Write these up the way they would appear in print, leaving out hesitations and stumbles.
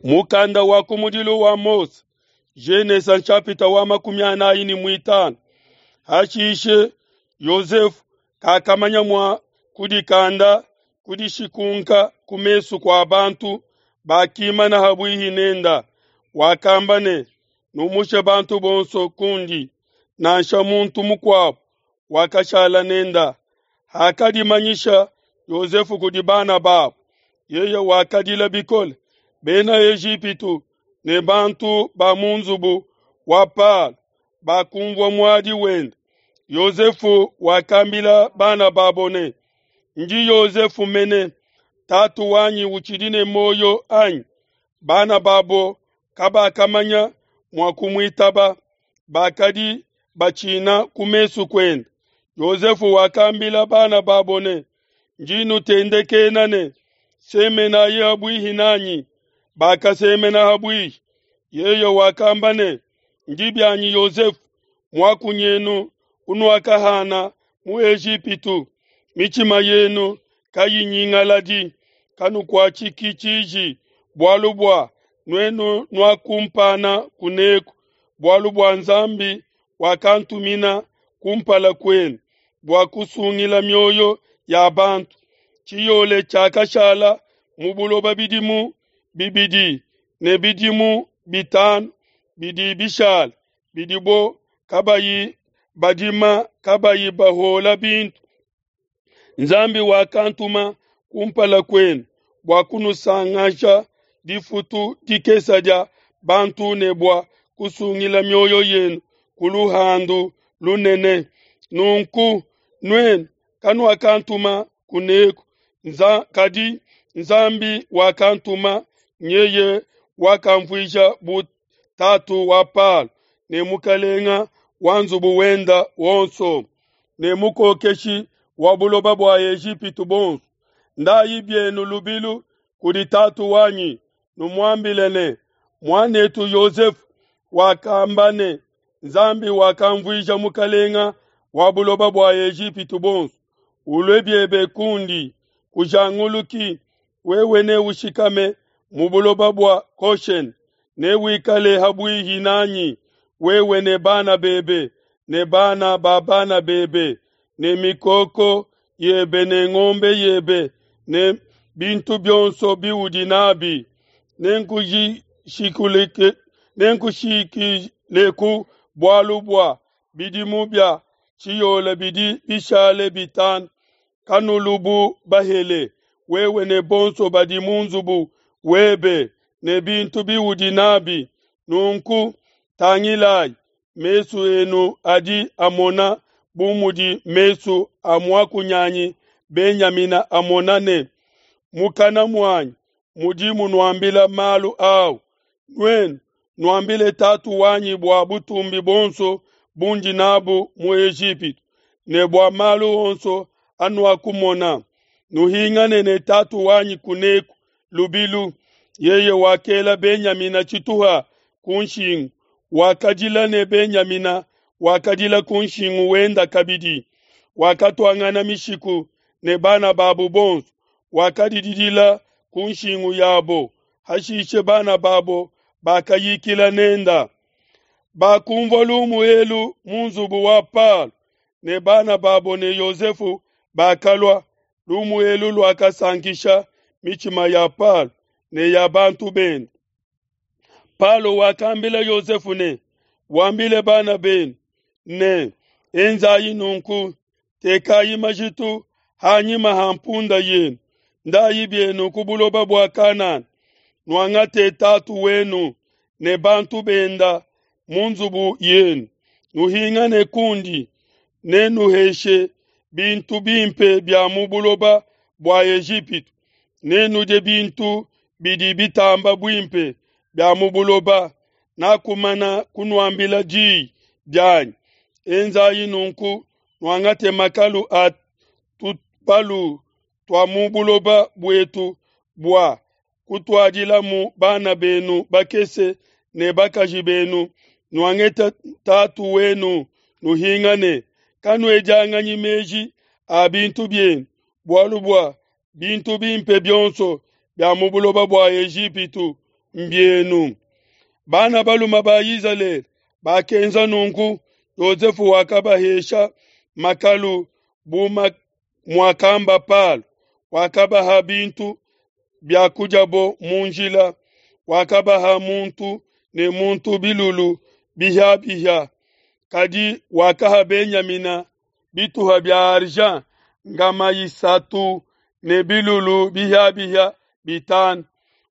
Mukanda wa kumudilu wa Mose, Genesa nshapita wa 45. Hashishe Yosefu kakamanya mua kudikanda kudishikunka ku mesu kua bantu bakimana habuihi nenda. Wakamba ne, numushe bantu bonso kundi, nansha muntu mukuabo wakashala nenda. Hakadimanyisha Yosefu kudi bana babo, yeye wakadila bikole. Bena Ejipitu ne bantu ba mu nzubu wa Palo bakumvua muadi wende. Yosefu wakambila bana babo ne, ndi Yosefu mene, tatu wanyi utshidi ne muoyo anyi? Bana babo kabakamanya mua kumuitaba, bakadi batshina ku mesu kuende. Yosefu wakambila bana babo ne, ndi nutendekena ne, semenayi habuihi nanyi. Bakasemena habuihi. Yeye wakamba ne, ndi bianyi Yosefu, muakunyenu unuakahana mu Ejipitu. Mitshima yenu kayinyingaladi, kanukuatshiki tshiji, bualu bua nuenu nuakumpana kuneku, bualu bua Nzambi wakantumina kumpala kuenu bua kusungila mioyo ya bantu. Tshiyole tshiakashala mu buloba bidimu bibidi ne bidimu 5 bidi bishala, bidibo kabayi badima kabayi bahola bintu. Nzambi wakantuma kumpala kuenu bua kunusangasha difutu dikesa dia bantu ne bua kusungila mioyo yenu ku luhandu lunene. Nunku nuenu kanuakantuma kuneku, kadi Nzambi wakantuma, nyeye wakamvuija bu tatu wa Palo ne mukalenga wa nzubu wenda wonso ne mukokeshi wa buloba bua Ejipitu bonso. Ndayi bienu lubilu kudi tatu wanyi, numuambile ne, muanetu Yosefu wakamba ne, Nzambi wakamvuija mukalenga wa buloba bua Ejipitu bonso. Ulue biebe kundi, kujanguluki, wewe ne ushikame mu buloba bua Goshen, ne wikale habuihi nanyi, wewe ne bana bebe ne bana ba bana bebe ne mikoko yebe ne ngombe yebe ne bintu bionso biudi nabi. Nenkushikileku bualu bua bidimu bia tshiyole bidi bishale 5. Kanulubu bahele, wewe ne bonso badi mu nzubu webe ne bintu biudi nabi. Nunku tangilayi, mesu enu adi amona bu mudi mesu a muakunyanyi Benyamina amona ne mukana muanyi mudi munuambila malu au. Nuenu nuambile tatu wanyi bua butumbi bonso bundi nabu mu Ejipitu ne bua malu onso anuakumona. Nuhingane ne tatu wanyi kuneku lubilu. Yeye wakela Benyamina tshituha ku nshingu, wakadila ne Benyamina wakadila ku nshingu wenda kabidi. Wakatuangana mishiku ne bana babo bonso, wakadididila ku nshingu yabo. Hashishe bana babo bakayikila nenda. Bakumvua lumu elu mu nzubu wa Palo, ne bana babo ne Yosefu bakalua. Lumu elu luakasankisha mitshima ya Palo ne ya bantu bende. Palo wakambila Yosefu ne, wambile bana benu ne, enzayi nunku, tekayi majitu hanyima ha mpunda yenu, ndayi bienu ku buloba bua Kanana, nuangate tatu wenu ne bantu benda mu nzubu yenu, nuhingane kundi, nenuheshe bintu bimpe bia mu buloba bua Ejipitu, nenudie bintu bidi bitamba buimpe bia mu buloba. Nakumana kunuambila diyi dianyi. Enzayi nunku, nuangate makalu a tubalu tua mu buloba buetu bua kutuadilamu bana benu bakese ne bakaji benu, nuangete tatu wenu, nuhingane. Kanuedianganyi meji a bintu bienu, bualu bua bintu bimpe bionso bia mu buloba bua Ejipitu mbienu. Bana balume ba Izalele bakenza nunku. Yosefe wakabahesha makalu bu muakamba Palo, wakabaha bintu bia kudiabo mu njila, wakabaha muntu ne muntu bilulu bihia-bihia. Kadi wakaha Benyamina bituha bia argent ngama isatu ne bilulu bihia-bihia bitanu.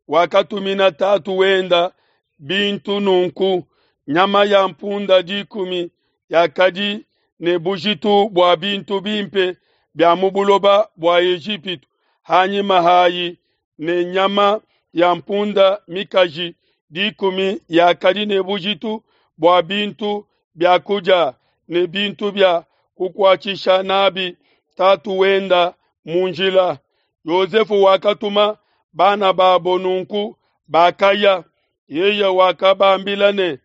Wakatumina tatu wenda bintu nunku: nyama ya mpunda dikumi yakadi ne bujitu bua bintu bimpe bia mu buloba bua Ejipitu hanyima hayi, ne nyama ya mpunda mikaji dikumi yakadi ne bujitu bua bintu bia kudia ne bintu bia kukuatshisha nabi tatu wenda mu njila. Yosefe wakatuma bana babo nunku bakaya. Yeye wakabambila ne,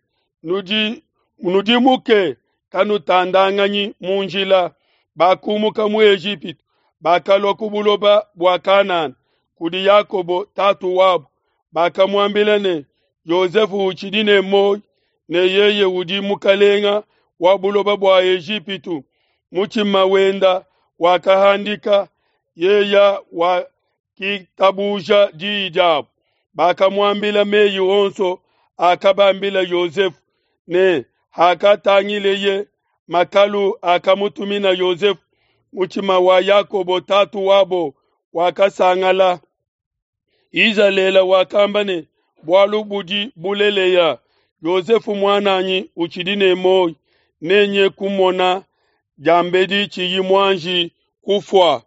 Nudimuke, kanutandanganyi mu njila. Bakumuka mu Ejipitu, bakalua ku buloba bua Kanana kudi Yakobo tatu wabo. Bakamuambila ne, Yosefe utshidi ne muoyo, ne yeye udi mukalenga wa buloba bua Ejipitu. Mutshima wenda wakahandika, yeye wakitabuja diyi diabo. Bakamuambila meyi onso akabambila Yosefe, ne hakatangileye makalu akamutumina Yosefe, mutshima wa Yakobo tatu wabo wakasangala. Izalele wakamba ne, Bualu budi bulelela, Yosefe muananyi utshidi ne muoyo, nenye kumona diambedi tshiyi muanji kufua.